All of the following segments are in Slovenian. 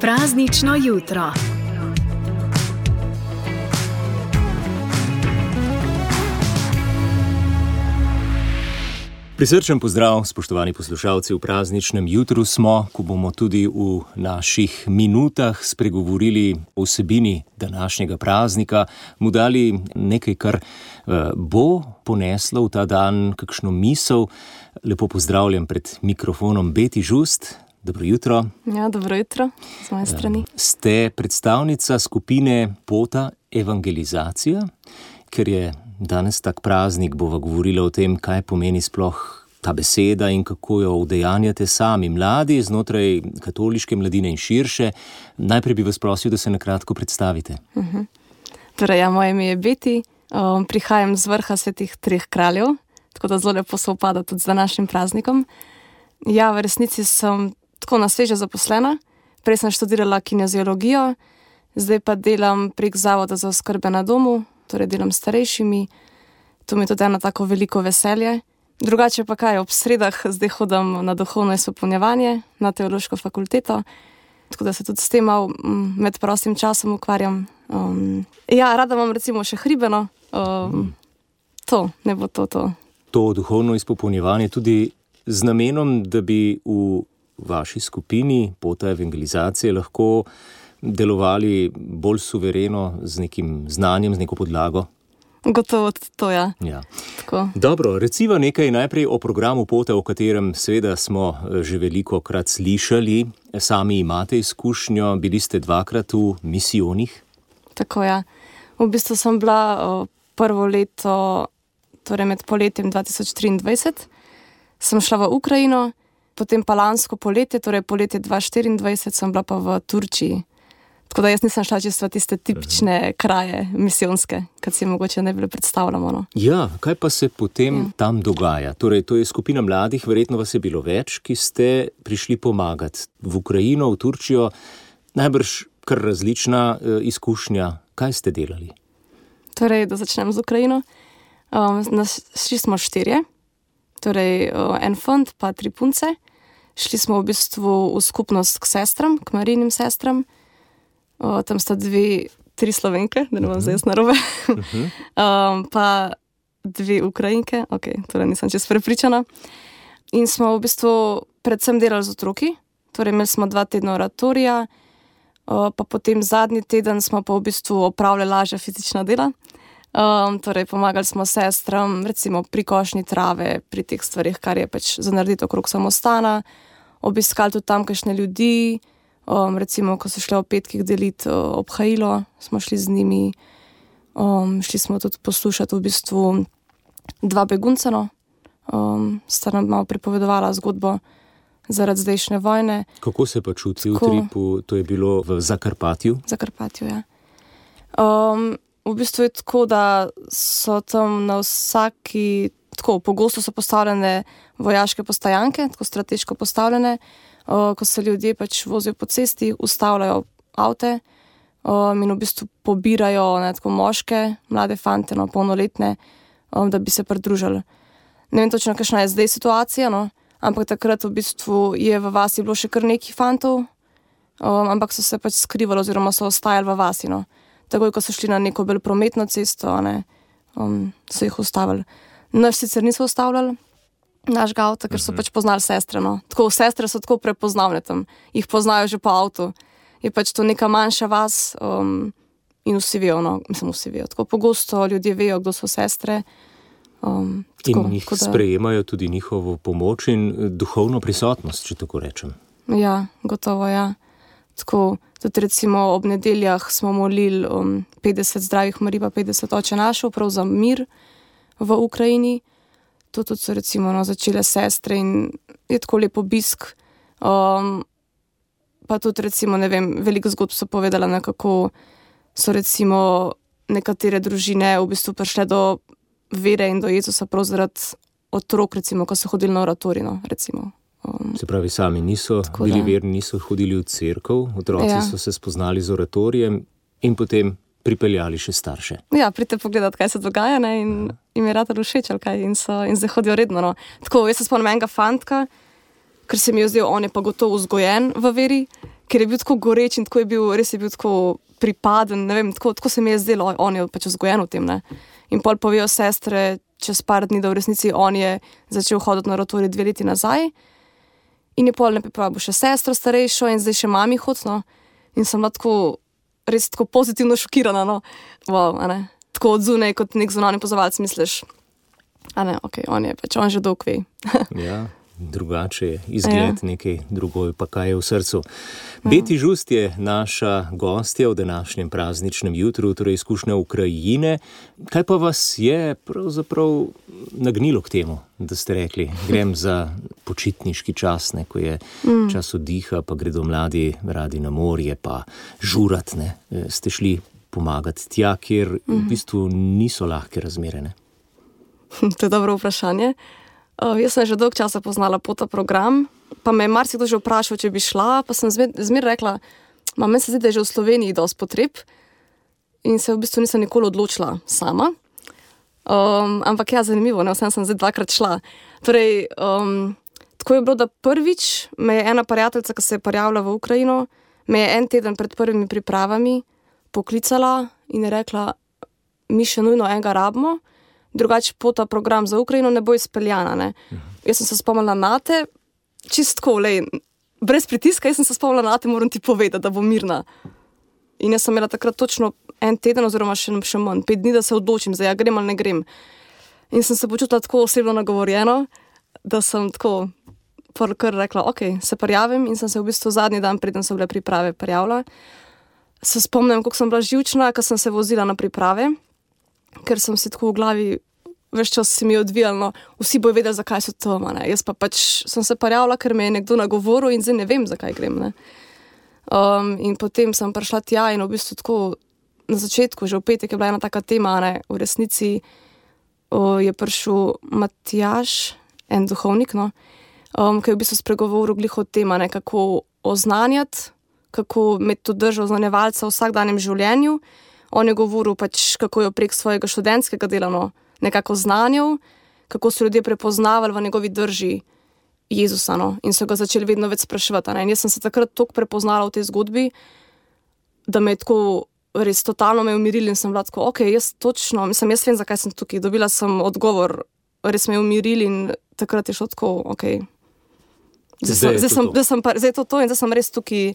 Praznično jutro. Prisrčen pozdrav, spoštovani poslušalci, v prazničnem jutru smo, ko bomo tudi v naših minutah spregovorili o vsebini današnjega praznika, mu dali nekaj, kar bo poneslo v ta dan kakšno misel. Lepo pozdravljam pred mikrofonom Beti Žust. Dobro jutro. Ja, dobro jutro z moje strani. Ste predstavnica skupine Pota Evangelizacija, ker je danes tak praznik, bova govorila o tem, kaj pomeni sploh ta beseda in kako jo udejanjate sami mladi znotraj katoliške mladine in širše. Najprej bi vas prosil, da se na kratko predstavite. Torej, moje ime je Beti, prihajam z vrha Svetih treh kraljev, tako da zelo lepo se upada tudi z današnjim praznikom. Ja, v resnici sem tako na sveže zaposlena. Prej sem študirala kineziologijo, zdaj pa delam prek Zavoda za oskrbe na domu, torej delam s starejšimi. To mi je tudi eno tako veliko veselje. Drugače pa kaj, ob sredah zdaj hodim na duhovno izpopolnjevanje na teološko fakulteto, tako da se tudi s tem malo med prostim časom ukvarjam. Ja, rada imam recimo še hribeno. To, ne bo to. To duhovno izpopolnjevanje tudi z namenom, da bi v vaši skupini Pota Evangelizacije lahko delovali bolj suvereno z nekim znanjem, z neko podlago? Gotovo to, ja. Tako. Dobro, reciva nekaj najprej o programu Pota, o katerem seveda smo že velikokrat slišali. Sami imate izkušnjo, bili ste 2-krat v misijonih? Tako, ja. V bistvu sem bila prvo leto, torej med poletjem 2023, sem šla v Ukrajino, potem pa lansko poletje, torej poletje 2024, sem bila pa v Turčiji. Tako da jaz nisem šla čisto v tiste tipične kraje misijonske, kad si mogoče ne bile predstavljamo. No. Ja, kaj pa se potem tam dogaja? Torej, to je skupina mladih, verjetno vas je bilo več, ki ste prišli pomagati v Ukrajino, v Turčijo. Najbrž kar različna izkušnja. Kaj ste delali? Torej, da začnem z Ukrajino. Šli smo 4, torej en fant pa 3 punce. Šli smo v bistvu v skupnost k sestram, k Marijinim sestram. Tam sta 2-3 Slovenke, da ne bom zdaj narobe, pa 2 Ukrajinke, torej nisem čisto prepričana. In smo v bistvu predvsem delali z otroki, torej imeli smo 2 tedna oratorija, pa potem zadnji teden smo pa v bistvu opravljali lažja fizična dela. Torej pomagali smo sestram, recimo pri košnji trave, pri teh stvarih, kar je pač za narediti okrog samostana, obiskali tudi tamkajšnje ljudi. Recimo, ko so šli o petkih deliti obhajilo, smo šli z njimi, šli smo tudi poslušati v bistvu 2 begunca, sta nam malo pripovedovala zgodbo zaradi zdajšnje vojne. Kako se pa čuti v tripu, to je bilo v Zakarpatju? Zakarpatju, ja. V bistvu je tako, da so tam na vsaki, tako pogosto so postavljene vojaške postajanke, tako strateško postavljene. Ko se ljudje pač vozijo po cesti, ustavljajo avte in v bistvu pobirajo tako moške, mlade fante, polnoletne, da bi se pridružili. Ne vem točno, kakšna je zdaj situacija, ampak takrat v bistvu je v vasi bilo še kar nekaj fantov, ampak so se pač skrivali oziroma so ostajali v vasi. Takoj, ko so šli na neko bolj prometno cesto, so jih ustavili. Naš sicer niso ustavljali, našega avta, ker so pač poznali sestre. Tako, sestre so tako prepoznavne tam, jih poznajo že po avtu. Je pač to neka manjša vas in vsi vejo, vsi vejo. Tako pogosto ljudje vejo, kdo so sestre. Tako, in jih sprejemajo tudi njihovo pomoč in duhovno prisotnost, če tako rečem. Ja, gotovo, ja. Tako, tudi recimo ob nedeljah smo molili 50 zdravih Marij pa 50 Oče našov, prav za mir v Ukrajini. To tudi so recimo začele sestre in je tako lep obisk. Pa tudi recimo, ne vem, veliko zgodb so povedala, kako so recimo nekatere družine v bistvu prišle do vere in do Jezusa prav zaradi otrok, recimo, ko so hodili na oratorij, recimo. Se pravi, sami niso bili verni, niso hodili v cerkev, otroci so se spoznali z oratorijem in potem pripeljali še starše. Ja, pridite pogledati, kaj se dogaja, in jim je rad všeč ali kaj in zdaj hodijo redno. No. Tako, jaz se spomnim enega fantka, ker se mi je zdel, on je pa gotovo vzgojen v veri, ker je bil tako goreč in res je bil tako pripaden, ne vem, tako se mi je zdelo, on je pač vzgojen v tem, ne. In pol povejo sestre, čez par dni, da v resnici on je začel hoditi na oratorij 2 leti nazaj in je pol pripravil še sestro starejšo in zdaj še mami hod, no. In sem bila tako, res tako pozitivno šokirana, no. Wow, a ne. Tako od zunaj, kot nek zunanji opazovalec misliš, a ne, okej, on že dolg ve. Ja. Drugače je izgled, nekaj drugo, pa kaj je v srcu. Beti Žust je naša gostja v današnjem prazničnem jutru, torej izkušnja Ukrajine. Kaj pa vas je pravzaprav nagnilo k temu, da ste rekli, grem za počitniški čas, ne, ko je čas oddiha, pa gredo mladi radi na morje, pa žurat, ne, ste šli pomagati tja, kjer v bistvu niso lahke razmere, ne? To je dobro vprašanje. Jaz sem že dolg časa poznala POTA program, pa me je marsikdo že vprašal, če bi šla, pa sem zmer rekla, meni se zdi, da je že v Sloveniji dosti potreb in se v bistvu nisem nikoli odločila sama. Ampak ja, zanimivo, ne, vsem sem zdaj 2-krat šla. Torej, tako je bilo, da prvič me je ena prijateljica, ki se je prijavila v Ukrajino, me je en teden pred prvimi pripravami poklicala in je rekla, mi še nujno enega rabimo, drugače POTA program za Ukrajino ne bo izpeljana, ne. Jaz sem se spomnila nate, čistko, brez pritiska, jaz sem se spomnila nate, moram ti povedati, da bom mirna. In jaz sem imela takrat točno en teden, oziroma še manj, 5 dni, da se odločim, zdaj ja grem ali ne grem. In sem se počutila tako osebno nagovorjeno, da sem tako kar rekla, ok, se prijavim in sem se v bistvu zadnji dan, preden so bile priprave, prijavila. Se spomnim, kako sem bila živčna, ko sem se vozila na priprave, ker sem si tako v glavi, več čas se mi je odvijalo, vsi bojo vedeli, zakaj so tam, ne. Jaz pa pač sem se prijavila, ker me je nekdo nagovoril in zdaj ne vem, zakaj grem, ne. In potem sem prišla tja in v bistvu tako na začetku, že v petek je bila ena taka tema, ne, v resnici je prišel Matjaž, en duhovnik, no, ki je v bistvu spregovoril glih o tem, ne, kako oznanjati, kako imeti to držo oznanjevalca v vsakdanjem življenju. On je govoril pač, kako je prek svojega študentskega dela, no, nekako znanjal, kako so ljudje prepoznavali v njegovi drži Jezusa, no, in so ga začeli vedno več spraševati, ne. In jaz sem se takrat toliko prepoznala v tej zgodbi, da me je tako res totalno me umirili in sem bila tako, ok, jaz vem, zakaj sem tukaj. Dobila sem odgovor, res me je umirili in takrat je šlo tako, ok. Zdaj je to in zdaj sem res tukaj,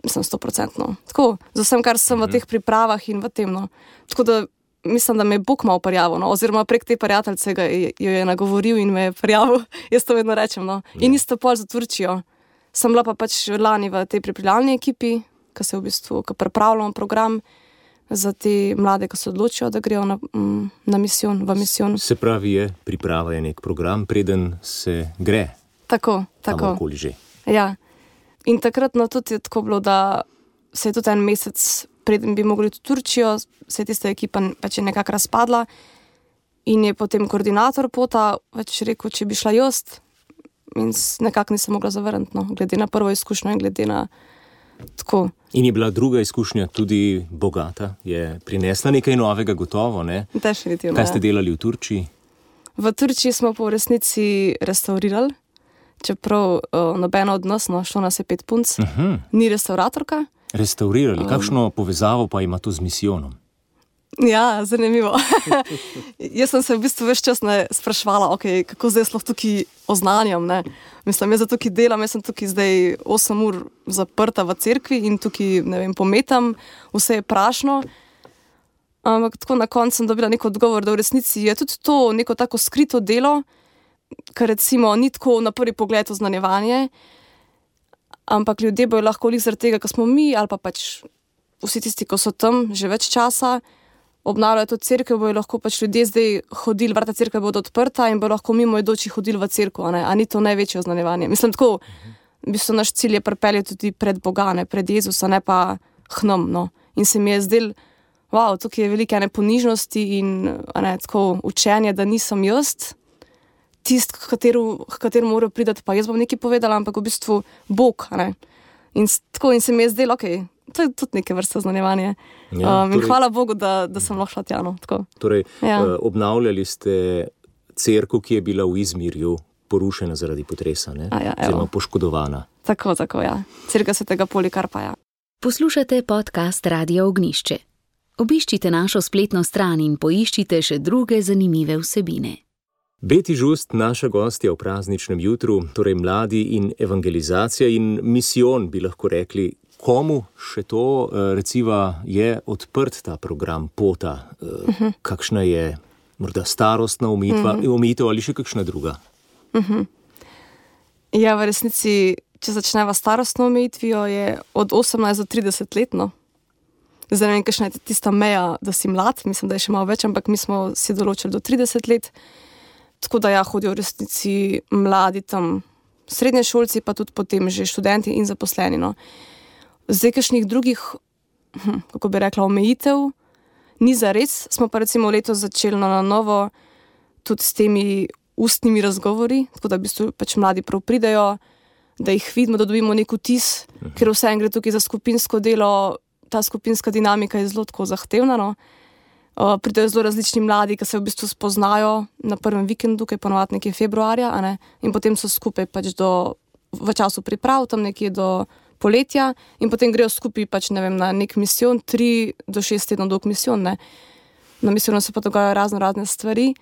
mislim 100%. Tako, z vsem, kar sem v teh pripravah in v tem, no. Tako da mislim, da me je Bog malo prijavil, no, oziroma prek te prijateljice jo je nagovoril in me je prijavil, jaz to vedno rečem, no. In isto pol za Turčijo. Sem bila pa pač lani v tej pripravljalni ekipi, ki se v bistvu, ki pripravljamo program za te mlade, ki se odločijo, da grejo na misijon, v misijon. Se pravi, priprava je nek program, preden se gre. Tako. Kamorkoli že. Ja. In takrat tudi je tako bilo, da se je tudi en mesec, preden bi mogli v Turčijo, se je tista ekipa pač je nekako razpadla in je potem koordinator POTA pač rekel, če bi šla jaz, in nekako nisem mogla zavrniti, no, glede na prvo izkušnjo in glede na tako. In je bila druga izkušnja tudi bogata, je prinesla nekaj novega gotovo, ne? Definitivno. Kaj ste delali v Turčiji? V Turčiji smo po resnici restaurirali, čeprav nobeno od nas, no, šlo nas je 5 punc, ni restauratorka. Restaurirali, kakšno povezavo pa ima to z misijonom? Ja, zanimivo. Jaz sem se v bistvu ves čas spraševala, ok, kako zdaj sploh tukaj oznanjam, ne. Mislim, jaz tukaj delam, jaz sem tukaj zdaj 8 ur zaprta v cerkvi in tukaj, ne vem, pometam, vse je prašno. Ampak tako na koncu sem dobila nek odgovor, da v resnici je tudi to neko tako skrito delo, kar recimo ni tako na prvi pogled oznanjevanje, ampak ljudje bojo lahko zaradi tega, ko smo mi ali pa pač vsi tisti, ko so tam že več časa, obnavljajo to cerkev, bojo lahko pač ljudje zdaj hodili, vrata cerkve bodo odprta in bojo lahko mimoidoči hodili v cerkev, a ni to največje oznanjevanje. Mislim tako, v bistvu naš cilj je pripeljati tudi pred Boga, ne, pred Jezusa, ne pa k nam, no. In se mi je zdel, wow, tukaj je velike ponižnosti in tako učenje, da nisem jaz tist, k kateremu morajo priti, pa jaz bom nekaj povedala, ampak v bistvu Bog, ne. In se mi je zdelo, ok, to je tudi neke vrste oznanjevanje. Ja, in hvala Bogu, da sem lahko šla tja. No, torej, obnavljali ste cerkev, ki je bila v Izmirju porušena zaradi potresa, oziroma poškodovana. Tako, ja. Cerkev svetega Polikarpa, ja. Poslušate podcast Radio Ognjišče. Obiščite našo spletno stran in poiščite še druge zanimive vsebine. Beti Žust, naša gostja v prazničnem jutru, torej mladi in evangelizacija in misijon, bi lahko rekli. Komu še to, reciva, je odprt ta program Pota? Kakšna je morda starostna omejitev ali še kakšna druga? Ja, v resnici, če začneva starostno omejitvijo, je od 18 do 30 let. Zdaj ne vem, kakšna je tista meja, da si mlad, mislim, da je še malo več, ampak mi smo si določili do 30 let. Tako da hodijo v resnici mladi tam, srednješolci, pa tudi potem že študenti in zaposleni. Zdaj, kakšnih drugih, kako bi rekla, omejitev, ni zares. Smo pa recimo letos začeli na novo tudi s temi ustnimi razgovori, tako da v bistvu pač mladi prav pridejo, da jih vidimo, da dobimo nek vtis, ker vseeno gre tukaj za skupinsko delo, ta skupinska dinamika je zelo tako zahtevna. Pridejo zelo različni mladi, ki se v bistvu spoznajo na prvem vikendu, ki je ponovadi nekje februarja, in potem so skupaj pač v času priprav, tam nekje do poletja, in potem grejo skupaj pač, ne vem, na nek misijon, 3 do 6 tednov dolg misijon. Na misijonu se pa dogajajo razne stvari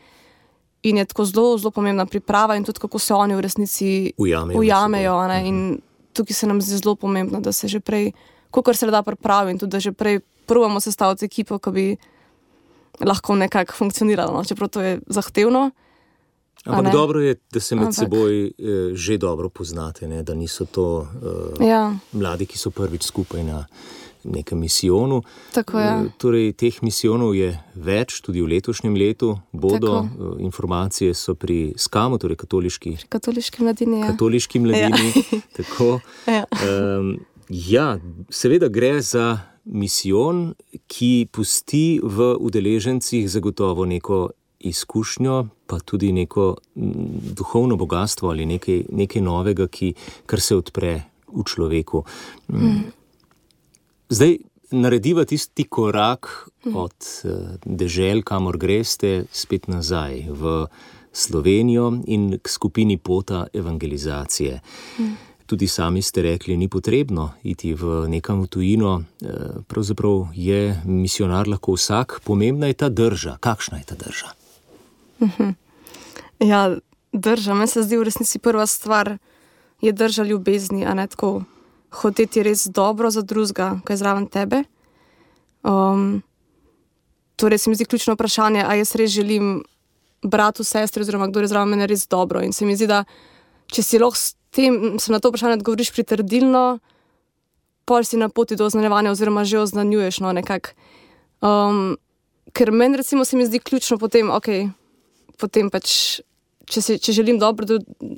in je tako zelo, zelo pomembna priprava in tudi kako se oni v resnici ujamejo. In tukaj se nam zdi zelo pomembno, da se že prej, kolikor se le da pripravi in tudi, da že prej probamo sestaviti ekipo, ki bi lahko nekako funkcioniralo, čeprav to je zahtevno. Ampak dobro je, da se med seboj že dobro poznate, da niso to mladi, ki so prvič skupaj na nekem misijonu. Tako je. Torej, teh misijonov je več, tudi v letošnjem letu bodo. Informacije so pri SKAM-u, torej Katoliški mladini. Katoliški mladini, tako. Seveda gre za misijon, ki pusti v udeležencih zagotovo neko izkušnjo, pa tudi neko duhovno bogatstvo ali nekaj novega, kar se odpre v človeku. Zdaj, narediva tisti korak od dežel, kamor greste, spet nazaj v Slovenijo in k skupini Pota evangelizacije. Tudi sami ste rekli, ni potrebno iti v nekam v tujino, pravzaprav je misionar lahko vsak, pomembna je ta drža. Kakšna je ta drža? Ja, drža, meni se zdi v resnici prva stvar je drža ljubezni, tako hoteti res dobro za drugega, ko je zraven tebe. Torej se mi zdi ključno vprašanje, a jaz res želim bratu, sestri oziroma kdo je zraven mene res dobro. In se mi zdi, da če si lahko s tem, se na to vprašanje odgovoriš pritrdilno, pol si na poti do oznanjevanja oziroma že oznanjuješ, nekako. Ker meni recimo se mi zdi ključno potem pač, če želim dobro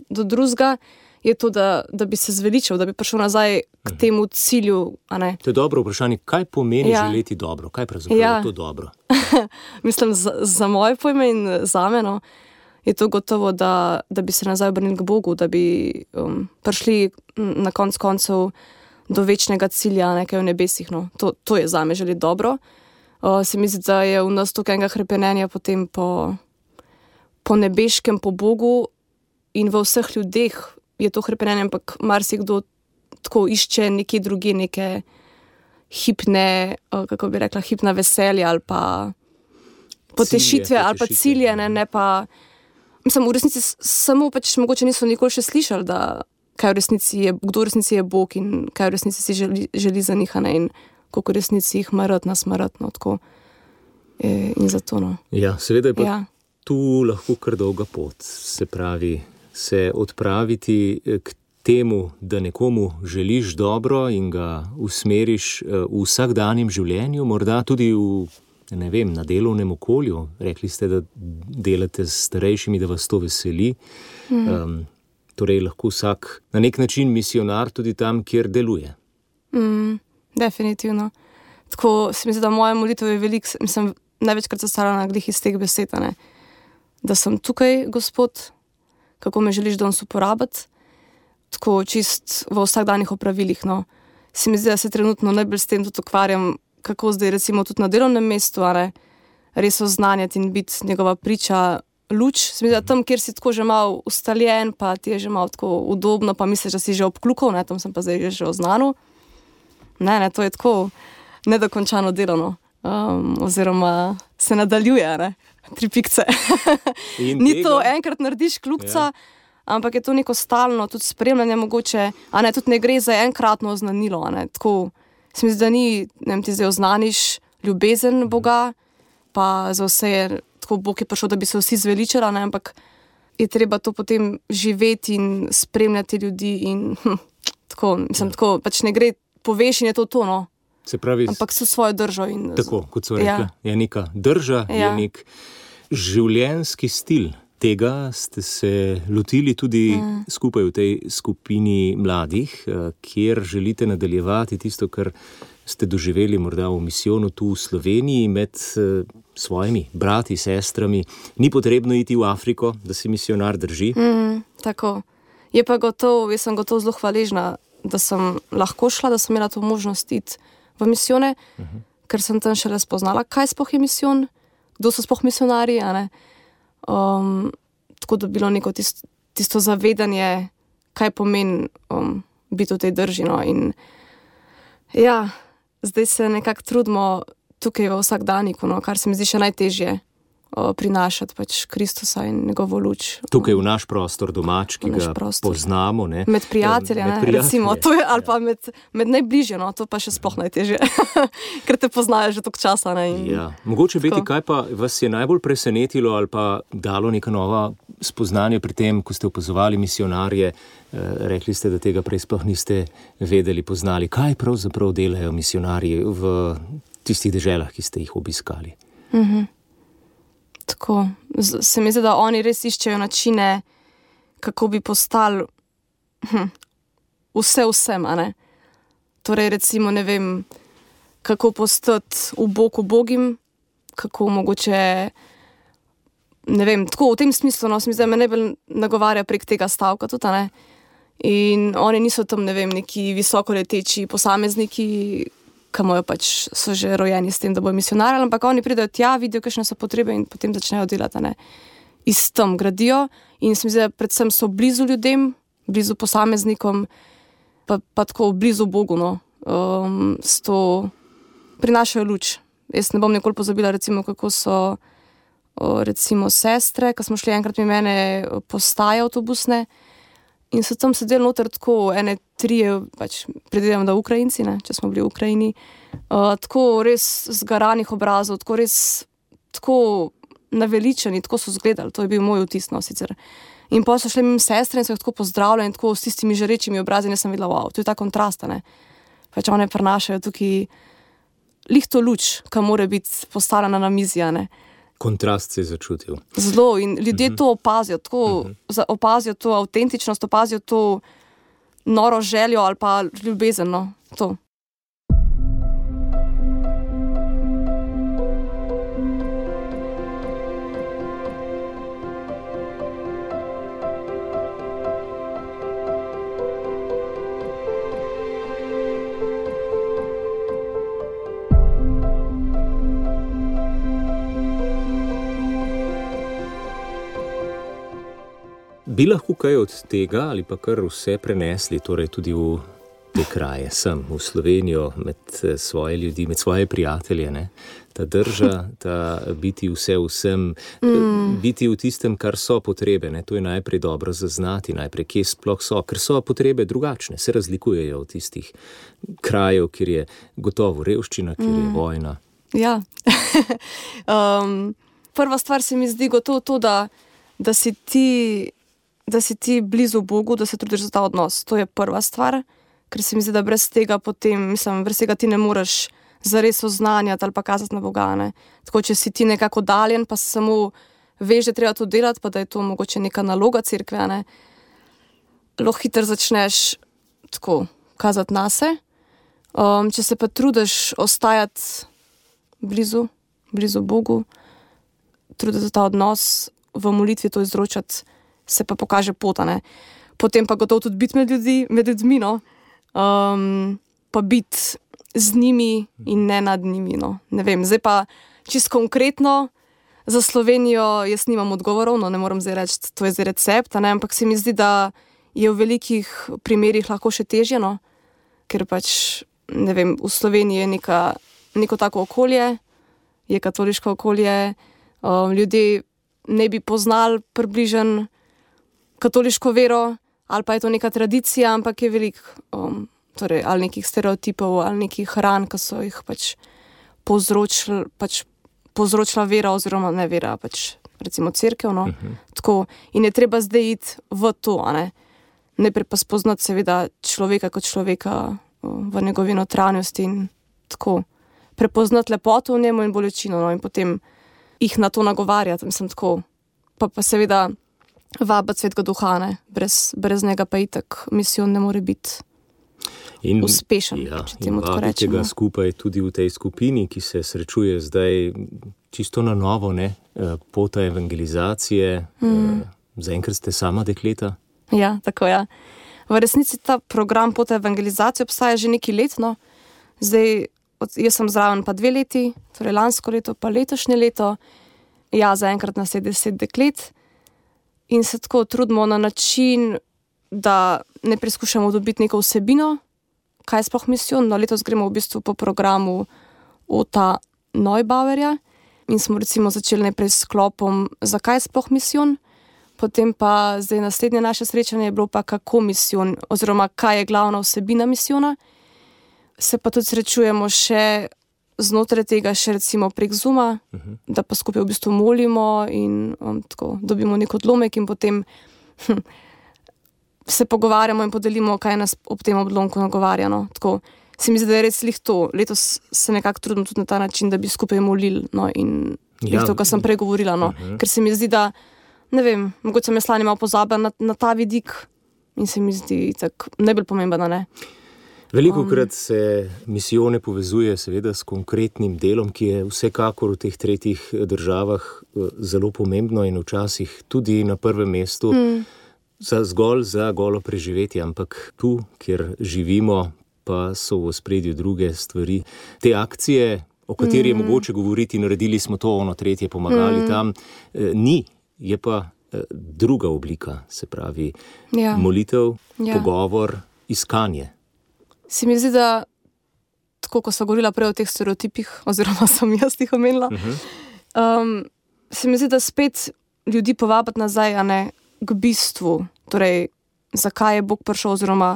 do drugega, je to, da bi se zveličal, da bi prišel nazaj k temu cilju. To je dobro vprašanje. Kaj pomeni želeti dobro? Kaj pravzaprav je to dobro? Mislim, za moje pojme in zame, je to gotovo, da bi se nazaj obrnili k Bogu, da bi prišli na konc koncev do večnega cilja, nekaj v nebesih. To je zame želeti dobro. Se mi zdi, da je v nas tukaj enega hrepenenja potem po nebeškem, po Bogu in v vseh ljudeh je to hrepenenje, ampak marsikdo tako išče nekje druge, neke hipne, kako bi rekla, hipna veselja ali pa potešitve ali pa cilje, ne pa. Mislim, v resnici samo pač mogoče niso nikoli še slišali, da kdo v resnici je Bog in kaj v resnici si želi za njih, in koliko v resnici jih marat na smrtno, tako. In zato, Ja, seveda je pa tu lahko kar dolga pot, se pravi, se odpraviti k temu, da nekomu želiš dobro in ga usmeriš v vsakdanjem življenju, morda tudi na delovnem okolju. Rekli ste, da delate s starejšimi, da vas to veseli. Torej lahko vsak na nek način misionar tudi tam, kjer deluje. Definitivno. Tako se mi zdi, da moja molitev je veliko, mislim, največkrat sestavljena glih iz teh besed, da sem tukaj, Gospod, kako me želiš danes uporabiti, tako čist v vsakdanjih opravilih. se mi zdi, da se trenutno najbolj s tem tudi ukvarjam, kako zdaj recimo tudi na delovnem mestu, res oznanjati in biti njegova priča, luč. Se mi zdi, da tam, kjer si tako že malo ustaljen, pa ti je že malo tako udobno, pa misliš, da si že obklukal, tam sem pa zdaj že oznanil. Ne, to je tako nedokončano delo, oziroma se nadaljuje, 3 pikce. Ni to enkrat narediš kljubca, ampak je to neko stalno, tudi spremljanje mogoče, tudi ne gre za enkratno oznanilo, tako, se mi zdi, da ni, ne vem, ti zdaj oznaniš ljubezen Boga, pa za vse je, tako Bog je prišel, da bi se vsi zveličali, ampak je treba to potem živeti in spremljati ljudi in tako, mislim, tako, pač ne gre, poveš in je to, no. Se pravi, ampak so svojo držo. Tako, kot so rekli, je neka drža, je nek življenjski stil. Tega ste se lotili tudi skupaj v tej skupini mladih, kjer želite nadaljevati tisto, kar ste doživeli morda v misijonu tu v Sloveniji med svojimi brati, sestrami. Ni potrebno iti v Afriko, da se misionar drži? Tako. Je pa gotovo, jaz sem gotovo zelo hvaležna, da sem lahko šla, da sem imela to možnost iti v misijone, ker sem tam šele spoznala, kaj sploh je misijon, kdo so sploh misionarji, tako da bilo neko tisto zavedanje, kaj pomeni biti v tej drži. In ja, zdaj se nekako trudimo tukaj v vsakdaniku, kar se mi zdi še najtežje, prinašati pač Kristusa in njegovo luč. Tukaj v naš prostor domač, ki ga poznamo. Ne? Med prijatelji, recimo. To je, ali pa med najbližje, to pa še sploh najtežje. Ker te poznajo že toliko časa. Mogoče biti, kaj pa vas je najbolj presenetilo ali pa dalo neka nova spoznanja pri tem, ko ste opazovali misionarje, rekli ste, da tega prej sploh niste vedeli, poznali. Kaj pravzaprav delajo misionarji v tistih deželah, ki ste jih obiskali? Tako, se mi zdi, da oni res iščejo načine, kako bi postali vsem, Torej, recimo, ne vem, kako postati ubogim, kako mogoče, ne vem, tako v tem smislu, se mi zdi, da me najbolj nagovarja prek tega stavka tudi, In oni niso tam, ne vem, neki visokoleteči posamezniki, kamojo pač so že rojeni s tem, da bojo misionarji, ampak oni pridejo tja, vidijo, kakšne so potrebe in potem začnejo delati, Iz tam gradijo in se mi zdi, da predvsem so blizu ljudem, blizu posameznikom, pa tako blizu Bogu, s to prinašajo luč. Jaz ne bom nikoli pozabila, recimo, kako so recimo sestre, ko smo šli enkrat mene postaje avtobusne, in so tam sedeli noter tako 3, pač predvidevam, da Ukrajinci, če smo bili v Ukrajini, tako res zgaranih obrazov, tako res tako naveličeni, tako so zgledali, to je bil moj vtis, sicer. In potem so šli mimo sestre in so jih tako pozdravljali in tako s tistimi žarečimi obrazi, in jaz sem videla, wow, to je ta kontrast, Pač one prinašajo tukaj lihto luč, ki mora biti postavljena na mizi, Kontrast se je začutil. Zelo, in ljudje to opazijo, tako opazijo to avtentičnost, opazijo to noro željo ali pa ljubezen, to. Bi lahko kaj od tega ali pa kar vse prenesli, torej tudi v te kraje, sem v Slovenijo, med svoje ljudi, med svoje prijatelje, Ta drža, ta biti vsem, biti v tistem, kar so potrebe, To je najprej dobro zaznati, najprej, kje sploh so, ker so potrebe drugačne, se razlikujejo od tistih krajev, kjer je gotovo revščina, kjer je vojna. Ja. Prva stvar se mi zdi gotovo to, da si ti blizu Bogu, da se trudiš za ta odnos. To je prva stvar, ker se mi zdi, da brez tega potem, brez tega ti ne moreš zares oznanjati ali pa kazati na Boga, Tako, če si ti nekako daljen, pa samo veš, da treba to delati, pa da je to mogoče neka naloga cerkve, lahko hitro začneš tako kazati nase. Če se pa trudiš ostajati blizu Bogu, trudiš za ta odnos, v molitvi to izročati, se pa pokaže pot, Potem pa gotovo tudi biti med ljudmi, pa biti z njimi in ne nad njimi. No. Ne vem, zdaj pa čisto konkretno za Slovenijo jaz nimam odgovorov, no, ne moram zdaj reči, to je zdaj recept, ne, ampak se mi zdi, da je v velikih primerih lahko še težje, no, ker pač, ne vem, v Sloveniji je neko tako okolje, je katoliško okolje, ljudje ne bi poznali približen katoliško vero, ali pa je to neka tradicija, ampak je veliko torej, ali nekih stereotipov, ali nekih ran, ki so jih pač povzročila vera oziroma ne vera, pač recimo cerkev, no. Tako, in je treba zdaj iti v to, a ne. Najprej pa spoznati seveda človeka kot človeka v njegovi notranjosti in tako prepoznati lepoto v njemu in bolečino, no, in potem jih na to nagovarjati, mislim tako. Pa seveda vabiti Svetega Duha, ne, brez njega pa itak misijon ne more biti uspešen, če temu tako rečemo. In vabiti ga skupaj tudi v tej skupini, ki se srečuje zdaj čisto na novo, ne, pota evangelizacije. Zaenkrat ste sama dekleta? Ja, tako ja. V resnici ta program pota evangelizacije obstaja že nekaj let, no. Zdaj, jaz sem zraven pa 2 leti, torej lansko leto pa letošnje leto. Ja, zaenkrat nas je 10 deklet in se tako trudimo na način, da ne preskušamo dobiti neko vsebino, kaj je sploh misijon. No, letos gremo v bistvu po programu Ota Neubauerja in smo recimo začeli najprej s sklopom, zakaj je sploh misijon, potem pa zdaj naslednje naše srečanje je bilo pa kako misijon oziroma kaj je glavna vsebina misijona. Se pa tudi srečujemo še znotraj tega, še recimo prek Zooma, da pa skupaj v bistvu molimo in tako dobimo nek odlomek in potem se pogovarjamo in podelimo, kaj nas ob tem odlomku nagovarja. No. Tako se mi zdi, da je res lih to. Letos se nekako trudim tudi na ta način, da bi skupaj molili, no, in lih to, kar sem prej govorila, no. Ker se mi zdi, da, ne vem, mogoče sem jaz lani malo pozabila na ta vidik in se mi zdi tako najbolj pomembno, ne. Velikokrat se misijone povezuje seveda s konkretnim delom, ki je vsekakor v teh tretjih državah zelo pomembno in včasih tudi na prvem mestu zgolj za golo preživetje, ampak tu, kjer živimo, pa so v ospredju druge stvari. Te akcije, o kateri je mogoče govoriti, naredili smo to, ono tretje, pomagali tam, ni, je pa druga oblika, se pravi molitev, pogovor, iskanje. Se mi zdi, da tako, ko so govorila prej o teh stereotipih, oziroma sem jaz jih omenila, se mi zdi, da spet ljudi povabiti nazaj, a ne, k bistvu. Torej, zakaj je Bog prišel, oziroma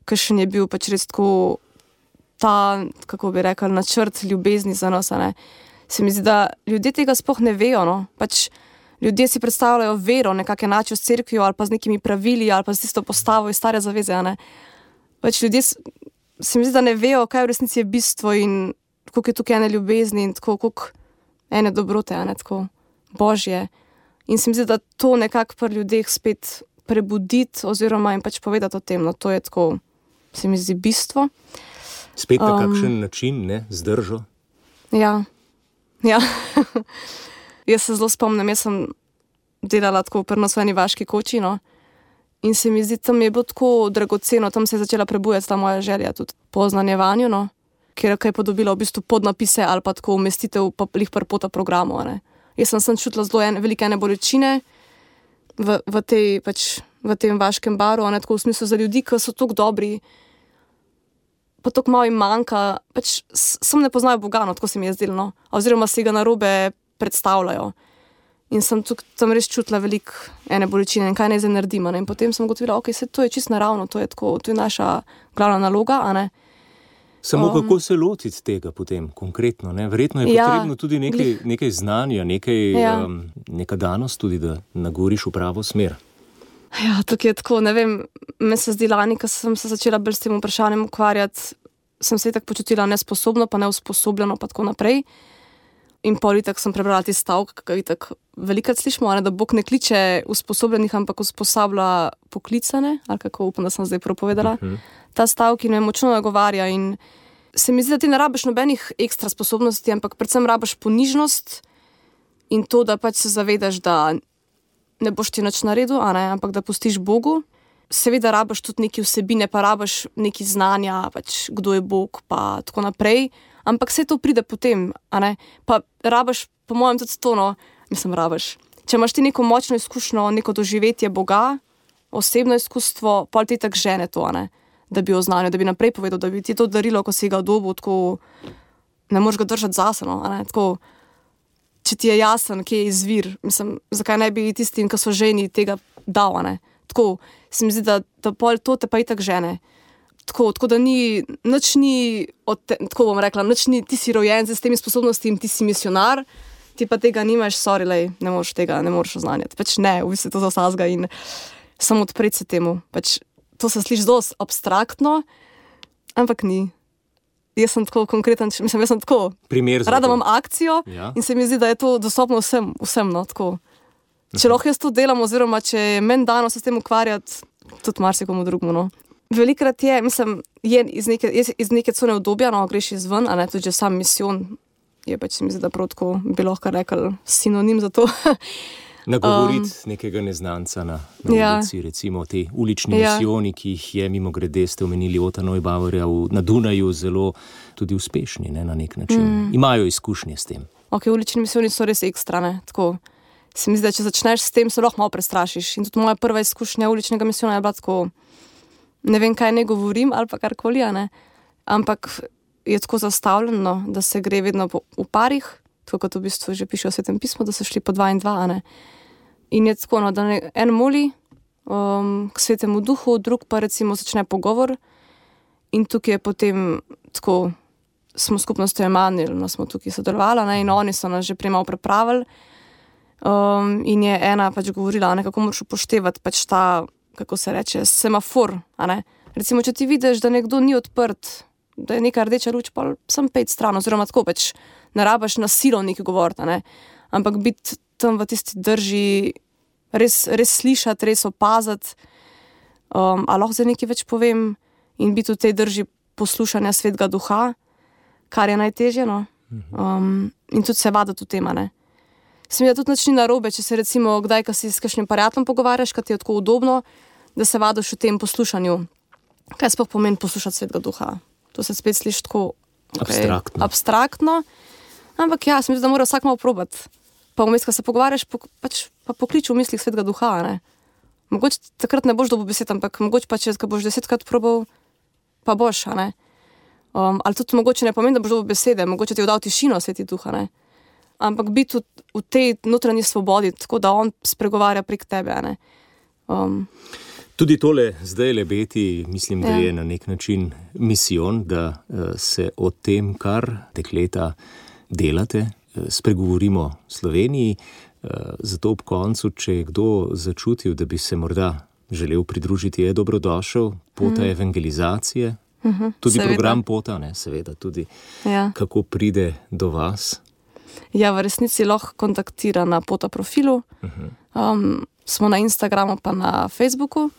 kakšen je bil pač res tako ta, kako bi rekli, načrt ljubezni za nas, a ne. Se mi zdi, da ljudje tega sploh ne vejo, no. Pač ljudje si predstavljajo vero, nekako enačijo s cerkvijo ali pa z nekimi pravili ali pa z tisto postavo iz Stare zaveze, a ne. Pač ljudje se mi zdi, da ne vejo, kaj v resnici je bistvo in koliko je tukaj ene ljubezni in tako, koliko ene dobrote, a ne, tako božje. In se mi zdi, da to nekako pri ljudeh spet prebuditi oziroma jim pač povedati o tem, no, to je tako, se mi zdi, bistvo. Spet na kakšen način, ne, zdržo? Ja. Jaz se zelo spomnim, jaz sem delala tako pri nas v eni vaški koči, no, in se mi zdi, tam je bilo tako dragoceno, tam se je začela prebujati ta moja želja tudi po oznanjevanju, no, ker je podobila v bistvu podnapise ali pa tako umestitev pa lih pri pota programu, ne. Jaz sem čutila zelo velike ene bolečine v tem vaškem baru, ne, tako v smislu za ljudi, ki so tako dobri, pa tako malo jim manjka, pač sem ne poznajo Boga, no, tako se mi je zdelo, no, oziroma si ga narobe predstavljajo. In sem tam res čutila veliko ene bolečine in kaj naj zdaj naredim, ne, in potem sem ugotovila, ok, to je čisto naravno, to je tako, to je naša glavna naloga, a ne. Samo kako se lotiti tega potem konkretno, ne? Verjetno je potrebno tudi nekaj znanja, neka danost tudi, da nagovoriš v pravo smer. Ja, tukaj je tako, ne vem, me se zdi lani, ko sem se začela bolj s tem vprašanjem ukvarjati, sem se tako počutila nesposobno, pa neusposobljeno, pa tako naprej. In pol itak sem prebrala ti stavk, ki itak velikrat slišimo, da Bog ne kliče usposobljenih, ampak usposablja poklicane, ali kako, upam, da sem zdaj propovedala. Ta stavk in me močno nagovarja in se mi zdi, da ti ne rabiš nobenih ekstra sposobnosti, ampak predvsem rabiš ponižnost in to, da pač se zavedaš, da ne boš ti nič naredil, a ne, ampak da pustiš Bogu seveda rabiš tudi neke vsebine, pa rabiš neki znanja, pač kdo je Bog, pa tako naprej, ampak vse to pride potem, a ne? Pa rabiš, po mojem, tudi to, no, mislim, rabiš. Če imaš ti neko močno izkušnjo, neko doživetje Boga, osebno izkustvo, pol ti tak žene to, a ne? Da bi oznanil, da bi naprej povedal, da bi ti to darilo, ko si ga dobil, tako ne moreš ga držati zase, no, a ne? Tako, če ti je jasen, kje je izvir, mislim, zakaj ne bi tistim, ki so ženi, tega dal, a ne? Tako, se mi zdi, da pol to te pa itak žene. Tako da nič ni, tako bom rekla, nič ni, ti si rojen z temi sposobnostmi, ti si misionar, ti pa tega nimaš, sorry, lej, ne moreš oznanjati. Pač ne, v bistvu to za vsazga in samo odpreti se temu. Pač to se sliši dosti abstraktno, ampak ni. Jaz sem tako konkreten, mislim, jaz sem tako, rada imam akcijo in se mi zdi, da je to dostopno vsem, no, tako. Če lahko jaz to delam, oziroma če je meni dano se s tem ukvarjati, tudi marsikomu drugemu, no. Velikrat je, mislim, je iz neke cone obdobja, no, greš izven, a ne, tudi že sam misijon je pač, se mi zdi, da prav tako bi lahko rekel sinonim za to. Nagovoriti nekega neznanca na ulici, recimo te ulični misijoni, ki jih je mimogrede, ste omenili Ota Neubauerja na Dunaju, zelo tudi uspešni, ne, na nek način. Imajo izkušnje s tem. Ok, ulični misijoni so res ekstra, ne, tako. Se mi zdi, da če začneš s tem, se lahko malo prestrašiš. In tudi moja prva izkušnja uličnega misijona je bila tako, ne vem, kaj ne govorim ali pa karkoli, ne, ampak je tako zastavljeno, da se gre vedno v parih, tako kot v bistvu že piše v Svetem pismu, da so šli po 2 in 2, ne. In je tako, no, da en moli k Svetemu duhu, drug pa recimo začne pogovor in tukaj je potem tako, smo skupnostjo Emanuel, no, smo tukaj sodelovali, ne, in oni so nas že prej malo pripravili. In je ena pač govorila, ne, kako moraš upoštevati pač ta, kako se reče, semafor, a ne. Recimo, če ti vidiš, da nekdo ni odprt, da je neka rdeča luč, pa sem 5 stran, oziroma tako pač ne rabiš na silo nekaj govoriti, ne. Ampak biti tam v tisti drži, res slišati, res opaziti, a lahko za nekaj več povem in biti v tej drži poslušanja Svetega duha, kar je najtežje, no. In tudi se vaditi v tem, a ne. Se mi da tudi nič ni narobe, če se recimo kdaj, ko si s kakšnim prijateljem pogovarjaš, ko ti je tako udobno, da se vadiš v tem poslušanju. Kaj sploh pomeni poslušati Svetega duha? To se spet sliši tako abstraktno. Ampak ja, se mi zdi, da mora vsak malo probati. Pa vmes, ko se pogovarjaš, pa poklič v mislih Svetega duha, ne. Mogoče takrat ne boš dobil besed, ampak mogoče pa če boš 10-krat probal, pa boš, a ne. Ali tudi mogoče ne pomeni, da boš dobil besede, mogoče ti je dal tišino Sveti duh, a ne. Ampak biti v tej notranji svobodi, tako da on spregovarja prek tebe, a ne. Tudi tole zdaj lebeti, mislim, da je na nek način misijon, da se o tem, kar dekleta delate, spregovorimo Sloveniji. Zato ob koncu, če je kdo začutil, da bi se morda želel pridružiti, je dobrodošel. Pota evangelizacije, tudi seveda. Program Pota, ne, seveda tudi, kako pride do vas. Ja, v resnici lahko kontaktira na Pota profilu, smo na Instagramu pa na Facebooku,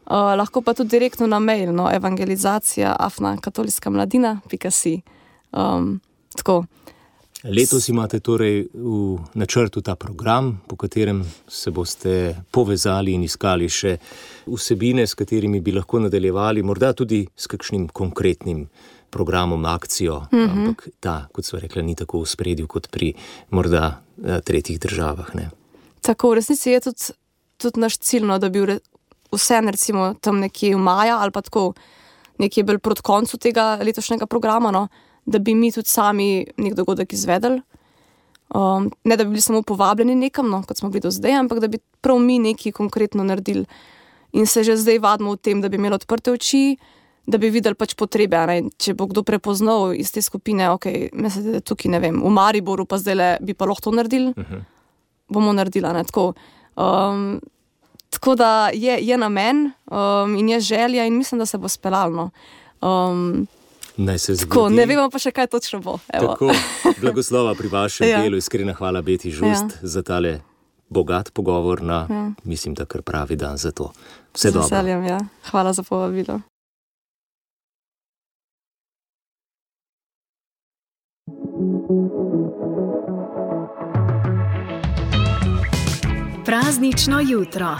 lahko pa tudi direktno na mail, no, evangelizacija@katolickamladina.si. Tako. Letos imate torej v načrtu ta program, po katerem se boste povezali in iskali še vsebine, s katerimi bi lahko nadaljevali, morda tudi s kakšnim konkretnim programom, akcijo, ampak ta, kot sva rekla, ni tako v spredju kot pri morda tretjih državah, ne. Tako, v resnici je tudi naš cilj, no, da bi vsem recimo tam nekje v maja ali pa tako nekje bolj proti koncu tega letošnjega programa, no, da bi mi tudi sami nek dogodek izvedeli. Ne da bi bili samo povabljeni nekam, no, kot smo bili do zdaj, ampak da bi prav mi nekaj konkretno naredili. In se že zdaj vadimo v tem, da bi imeli odprte oči, da bi videli pač potrebe, ne. Če bo kdo prepoznal iz te skupine, ok, mislim, da tukaj, ne vem, v Mariboru pa zdajle bi pa lahko to naredili, bomo naredili, ne, tako. Tako da je namen in je želja in mislim, da se bo speljalo. Naj se zgodi. Tako, ne vemo pa še, kaj točno bo. Evo. Tako, blagoslova pri vašem delu, iskrena hvala Beti Žust za tale bogat pogovor na, mislim, da kar pravi dan za to. Vse dobro. Z veseljem, ja. Hvala za povabilo. Praznično jutro.